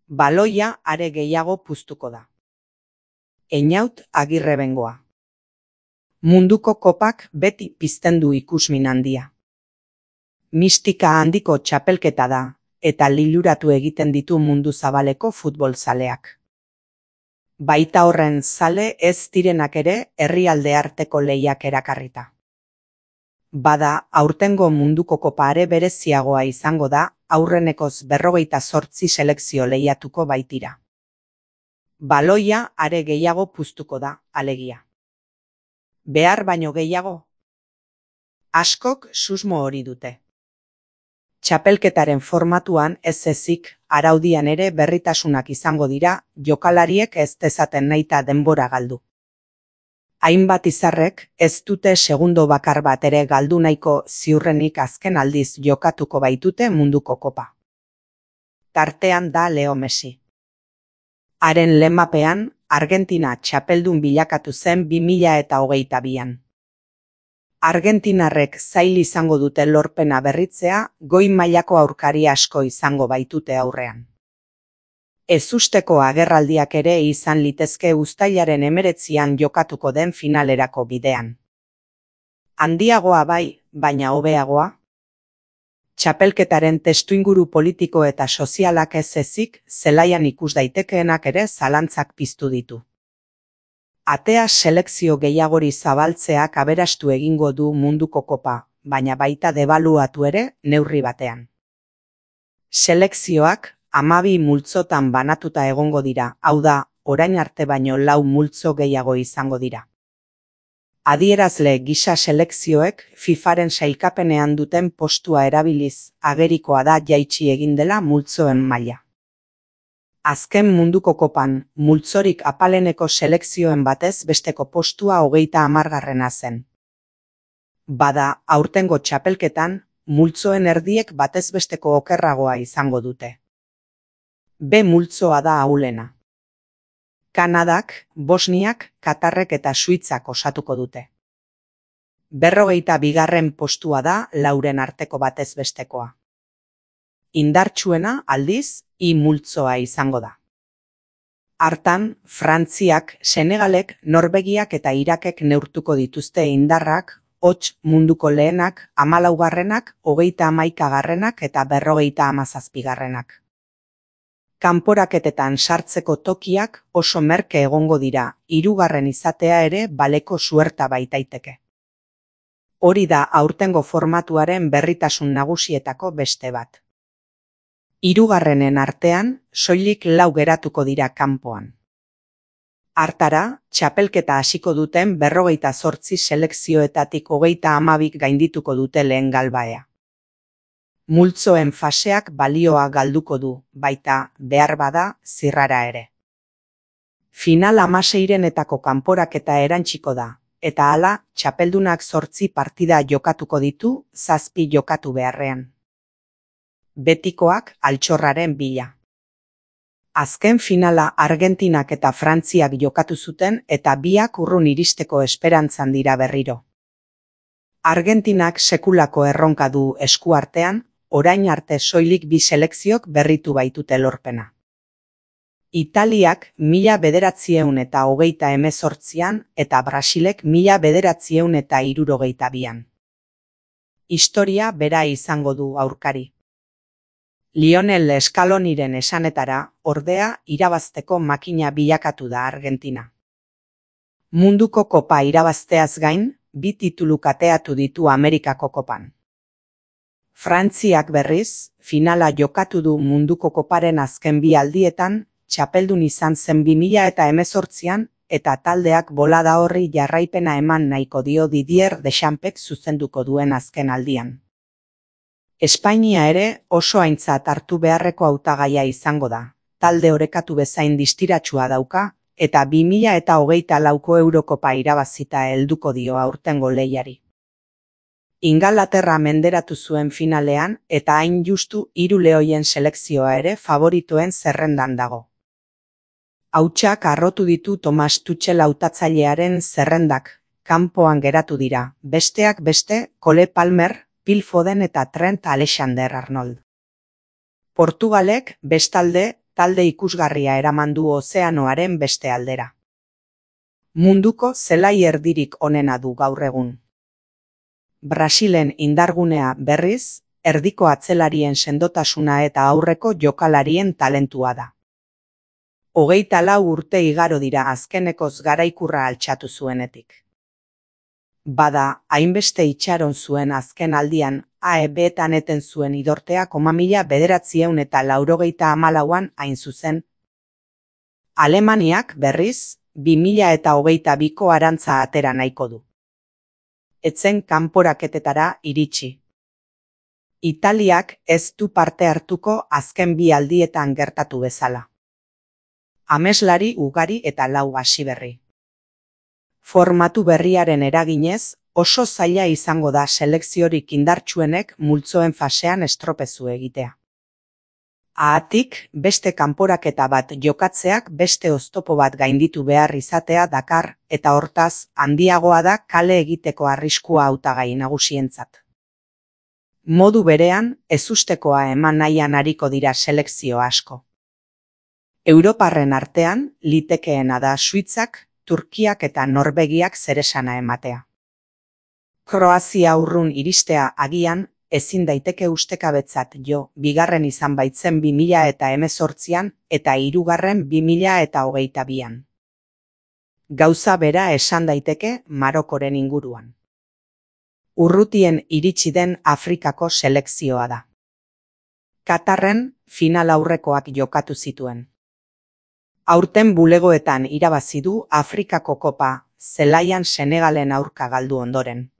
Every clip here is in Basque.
Baloia are gehiago puztuko da. Einaut Agirrebengoa. Munduko kopak beti pizten du ikusmin handia. Mistika handiko txapelketa da, eta liluratu egiten ditu mundu zabaleko futbol zaleak. Baita horren zale ez direnak ere herrialde arteko lehiak erakarrita. Bada, aurtengo munduko kopa are bereziagoa izango da, aurrenekoz 58 selekzio lehiatuko baitira. Baloia are gehiago puztuko da, alegia. Behar baino gehiago? Askok susmo hori dute. Txapelketaren formatuan ez ezik, araudian ere berritasunak izango dira, jokalariek ez dezaten nahita denbora galdu. Hainbat izarrek ez dute segundo bakar bat ere galdu nahiko ziurrenik azken aldiz jokatuko baitute munduko kopa. Tartean da Leo Messi. Haren lemapean, Argentina txapeldun bilakatu zen 2022an. Argentinarrek zail izango dute lorpena berritzea, goi mailako aurkari asko izango baitute aurrean. Ezusteko agerraldiak ere izan litezke uztailaren 19an jokatuko den finalerako bidean. Handiagoa bai, baina hobeagoa? Txapelketaren testuinguru politiko eta sozialak ez ezik, zelaian ikus daitekeenak ere zalantzak piztu ditu. Atea selekzio gehiagori zabaltzeak aberastu egingo du munduko kopa, baina baita debaluatu ere neurri batean. Selekzioak 12 multzotan banatuta egongo dira, hau da, orain arte baino 4 multzo gehiago izango dira. Adierazle gisa selekzioek FIFAren sailkapenean duten postua erabiliz, agerikoa da jaitsi egin dela multzoen maila. Azken munduko kopan, multzorik apaleneko selekzioen batez besteko postua 30. zen. Bada, aurtengo txapelketan, multzoen erdiek batez besteko okerragoa izango dute. B multzoa da ahulena. Kanadak, Bosniak, Katarrek eta Suitzak osatuko dute. 42. postua da 4 arteko batez bestekoa. Indartsuena, aldiz, I multzoa izango da. Hartan, Frantziak, Senegalek, Norvegiak eta Irakek neurtuko dituzte indarrak, hots munduko lehenak, 14. 31. eta 57. Kanporaketetan sartzeko tokiak oso merke egongo dira, 3. izatea ere baleko suerta baitaiteke. Hori da aurtengo formatuaren berritasun nagusietako beste bat. 3. artean, soilik 4 geratuko dira kanpoan. Hartara, txapelketa hasiko duten 58 selekzioetatik 32 gaindituko dute lehen galbaea. Multzoen faseak balioa galduko du, baita, behar bada, zirrara ere. Final 16renetako kanporaketa erantsiko da, eta hala, txapeldunak 8 partida jokatuko ditu, 7 jokatu beharrean. Betikoak altxorraren bila. Azken finala Argentinak eta Frantziak jokatu zuten eta biak urrun iristeko esperantzan dira berriro. Argentinak sekulako erronka du eskuartean, orain arte soilik 2 selekziok berritu baitute lorpena. Italiak 1928an eta Brasilek 1962an. Historia bera izango du aurkari. Lionel Scaloniren esanetara, ordea, irabazteko makina bilakatu da Argentina. Munduko kopa irabazteaz gain, 2 titulu kateatu ditu Amerikako kopan. Frantziak berriz, finala jokatu du munduko koparen azken 2 aldietan, txapeldun izan zen 2018an, eta taldeak bolada horri jarraipena eman nahiko dio Didier Deschampsek zuzenduko duen azken aldian. Espainia ere oso aintzat hartu beharreko hautagaia izango da, talde orekatu bezain distiratsua dauka, eta 2024ko Eurokopa irabazita helduko dio aurtengo lehiari. Ingalaterra menderatu zuen finalean, eta hain justu 3 lehoien selekzioa ere favoritoen zerrendan dago. Hautsak harrotu ditu Thomas Tuchel hautatzailearen zerrendak, kanpoan geratu dira, besteak beste, Cole Palmer, Phil Foden eta Trent Alexander-Arnold. Portugalek, bestalde, talde ikusgarria eraman du ozeanoaren beste aldera. Munduko zelai erdirik onena du gaur egun. Brasilen indargunea berriz, erdiko atzelarien sendotasuna eta aurreko jokalarien talentua da. 24 urte igaro dira azkenekoz garaikurra altxatu zuenetik. Bada, hainbeste itxaron zuen azken aldian, AEB-etan eten zuen idortea 1984an hain zuzen. Alemaniak berriz, 2022ko arantza atera nahiko du. Etzen kanporaketetara iritsi. Italiak ez du parte hartuko azken bi aldietan gertatu bezala. Ameslari ugari eta lau hasiberri. Formatu berriaren eraginez, oso zaila izango da selekziorik indartsuenek multzoen fasean estropezu egitea. Haatik, beste kanporaketa bat jokatzeak beste oztopo bat gainditu behar izatea dakar, eta hortaz, handiagoa da kale egiteko arriskua hautagai nagusientzat. Modu berean, ezustekoa eman nahian ariko dira selekzio asko. Europarren artean, litekeena da Suitzak, Turkiak eta Norvegiak zeresana ematea. Kroazia urrun iristea agian, ezin daiteke ustekabetzat jo, bigarren izan baitzen 2018an eta hirugarren 2022an. Gauza bera esan daiteke Marokoren inguruan. Urrutien iritsi den Afrikako selekzioa da. Katarren final aurrekoak jokatu zituen. Aurten bulegoetan irabazi du Afrikako kopa, zelaian Senegalen aurka galdu ondoren.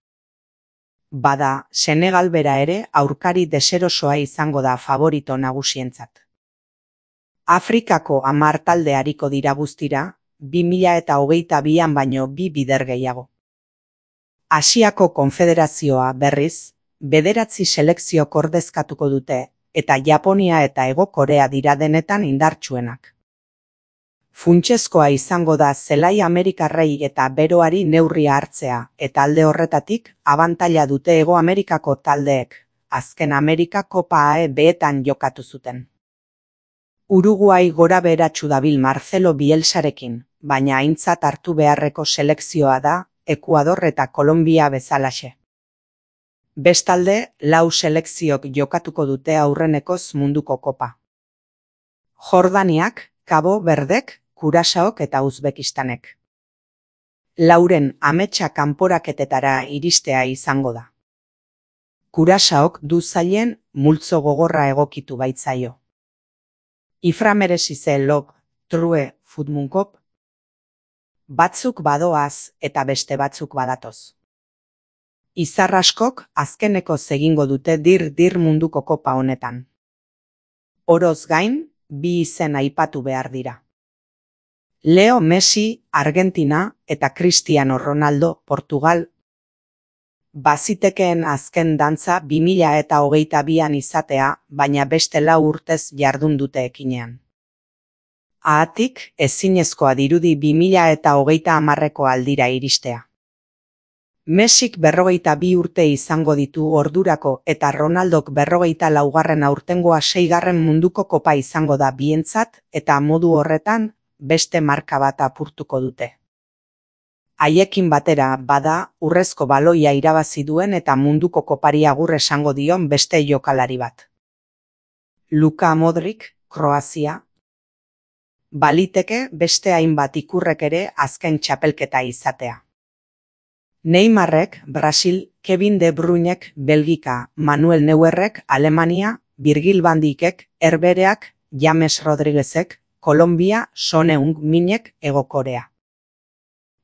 Bada, Senegal bera ere aurkari deserosoa izango da favorito nagusientzat. Afrikako 10 talde ariko dira guztira, 2022an baino 2 bider gehiago. Asiako Konfederazioa berriz, 9 selekziok ordezkatuko dute, eta Japonia eta Hego Korea dira denetan indartsuenak. Funtsezkoa izango da zelai Amerikarrei eta beroari neurria hartzea, eta alde horretatik abantaila dute Hego Amerikako taldeek, azken Amerika Kopa AEB-etan jokatu zuten. Uruguai gora beheratsu dabil Marcelo Bielsarekin, baina aintzat hartu beharreko selekzioa da, Ekuador eta Kolombia bezalaxe. Bestalde, 4 selekziok jokatuko dute aurrenekoz munduko kopa. Jordaniak, Cabo Verdek, Kurasaok eta Uzbekistanek. 4 ametsa kanporaketetara iristea izango da. Kurasaok du zailen multzo gogorra egokitu baitzaio. Iframeresize log, true, futmunkop. Batzuk badoaz eta beste batzuk badatoz. Izarraskok azkeneko egingo dute dir munduko kopa honetan. Oroz gain, 2 izen aipatu behar dira. Leo Messi, Argentina eta Cristiano Ronaldo, Portugal. Bazitekeen azken dantza 2022an izatea, baina beste 4 urtez jardun dute ekinean. Haatik, ezinezkoa dirudi 2030ko aldira iristea. Messik 42 urte izango ditu ordurako eta Ronaldok 44 aurtengoa 6. munduko kopa izango da bientzat eta modu horretan beste marka bat apurtuko dute. Haiekin batera bada urrezko baloia irabazi duen eta munduko kopari agur esango dion beste jokalari bat. Luka Modric, Kroazia. Baliteke beste hainbat ikurrek ere azken txapelketa izatea. Neymarrek, Brasil, Kevin De Bruynek, Belgika, Manuel Neuerrek, Alemania, Virgil van Dijkek, Herbereak, James Rodriguezek, Kolombia, Son Heung-minek, Hego Korea.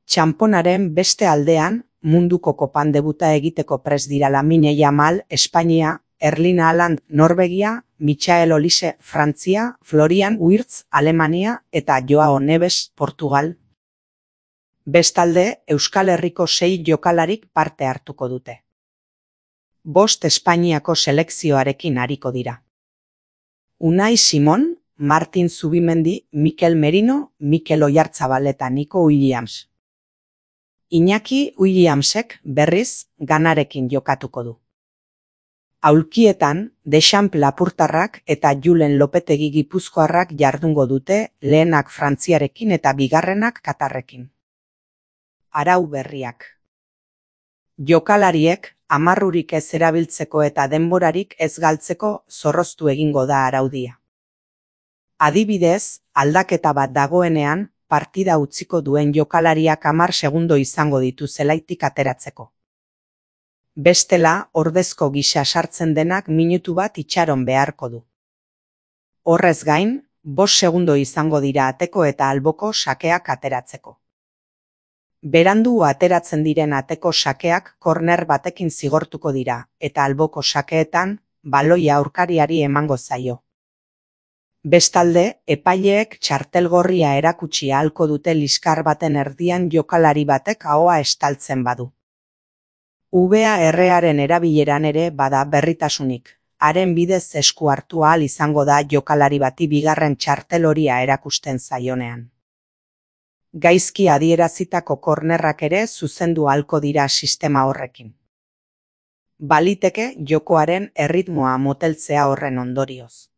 Txanponaren beste aldean, munduko kopan debuta egiteko prest dira Lamine Yamal, Espainia, Erling Haaland, Norvegia, Michael Olise, Frantzia, Florian Wirtz, Alemania eta Joao Neves, Portugal. Bestalde, Euskal Herriko 6 jokalarik parte hartuko dute. 5 Espainiako selekzioarekin ariko dira. Unai Simon, Martin Zubimendi, Mikel Merino, Mikel Oyarzabal eta Nico Williams. Iñaki Williamsek berriz Ganarekin jokatuko du. Aulkietan, Deschamps lapurtarrak eta Julen Lopetegi gipuzkoarrak jardungo dute, lehenak Frantziarekin eta bigarrenak Katarrekin. Arau berriak. Jokalariek, amarrurik ez erabiltzeko eta denborarik ez galtzeko zorroztu egingo da araudia. Adibidez, aldaketa bat dagoenean, partida utziko duen jokalariak 10 segundo izango ditu zelaitik ateratzeko. Bestela, ordezko gisa sartzen denak minutu bat itxaron beharko du. Horrez gain, 5 segundo izango dira ateko eta alboko sakeak ateratzeko. Berandu ateratzen diren ateko sakeak korner batekin zigortuko dira, eta alboko sakeetan, baloia aurkariari emango zaio. Bestalde, epaileek txartel gorria erakutsi ahalko dute liskar baten erdian jokalari batek ahoa estaltzen badu. VAR-aren erabileran ere bada berritasunik, haren bidez esku hartu ahal izango da jokalari bati bigarren txartel horia erakusten zaionean. Gaizki adierazitako kornerrak ere zuzendu ahalko dira sistema horrekin. Baliteke jokoaren erritmoa moteltzea horren ondorioz.